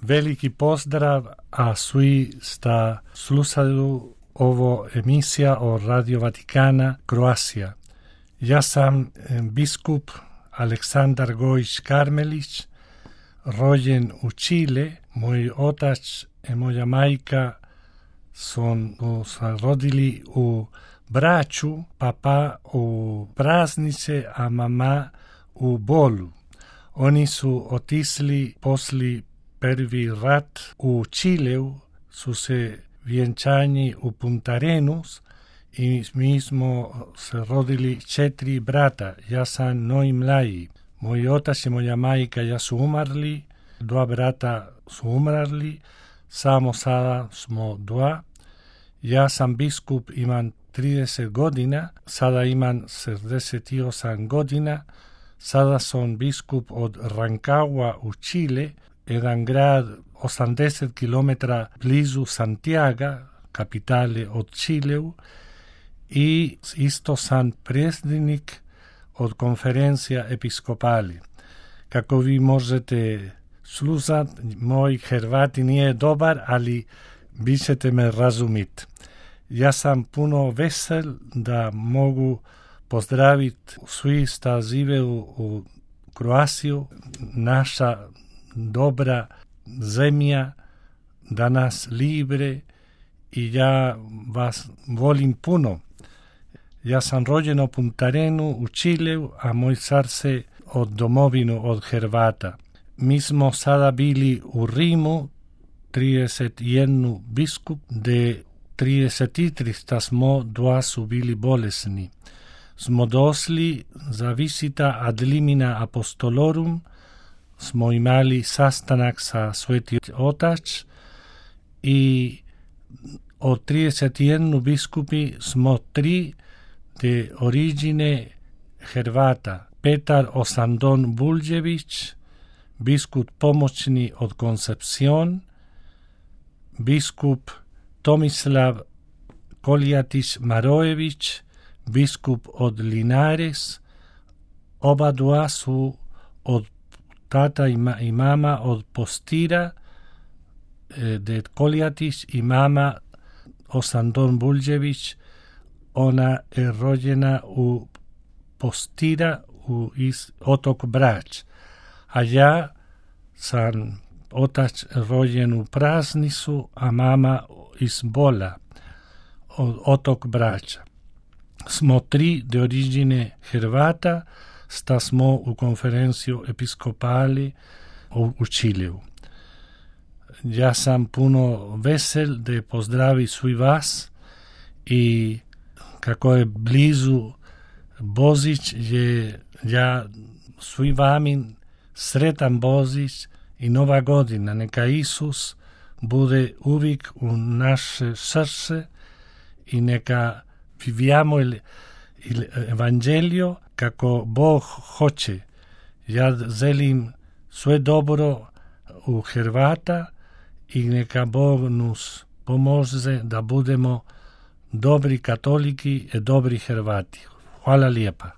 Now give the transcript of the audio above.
veliki pozdrav, a svi sta slušaju ovo emisija o Radio Vatikana Kroacija. Ja sam biskup Aleksandar Gojić Karmelić, rođen u Čile. Moj otac i moja majka su rodili u Braču, papa u Praznice, a mama u Bolu. Oni su otisli posli prvi rat u Čileu, su se vjenčani u Puntarenos i mi smo se rodili 4 brata. Ja sam najmlađi. Moj otac i moja majka ja su umrli, 2 brata su umrli, samo sada smo 2. Ja sam biskup, imam 30 godina, sada imam 68 godina. Sada sam biskup od Rancagua u Čile, jedan grad 80 km blizu Santiago, kapitale od Čileu, i isto sam predsjednik od konferencija episkopali. Kako vi možete slušati, moj hrvati nije dobar, ali vi ćete me razumjeti. Ja sam puno vesel da mogu pozdraviti svi sta žive u Kroaciju, naša dobra zemlja, danas libre, i ja vas volim puno. Ja sam rođen u Puntarenu u Čileu, a moj srce od domovinu, od Hrvata. Mi smo sada bili u Rimu, 31 biskup, de 33 smo, 2 su bili bolesni. Smo došli za visita ad limina apostolorum, smo imali sastanak sa Sveti Otac i od 31 biskupi smo 3 de origine Hrvata. Petar Osandon Buljević, biskup pomoćni od Koncepcion, biskup Tomislav Kolijatić Marojević, biskup od Linares. Oba 2 su od tata i mama od Postira, de Kolijatić, i mama Osandon Buljević. Ona je rođena u Postira, u otok Brač. A ja sam otac rođen u Praznicu, a mama iz Bola, od otok Brača. Smo 3 de origine Hrvata, sta smo u konferenciju episkopali u Čileu. Ja sam puno vesel da pozdravi svi vas, i kako je blizu Božić, ja svi vami sretan Božić i Nova godina. Neka Isus bude uvijek u naše srce i neka viviamo evanđelio kako Bog hoće. Ja želim sve dobro u Hrvata i neka Bog nas pomože da budemo dobri katoliki i dobri Hrvati. Hvala lijepa.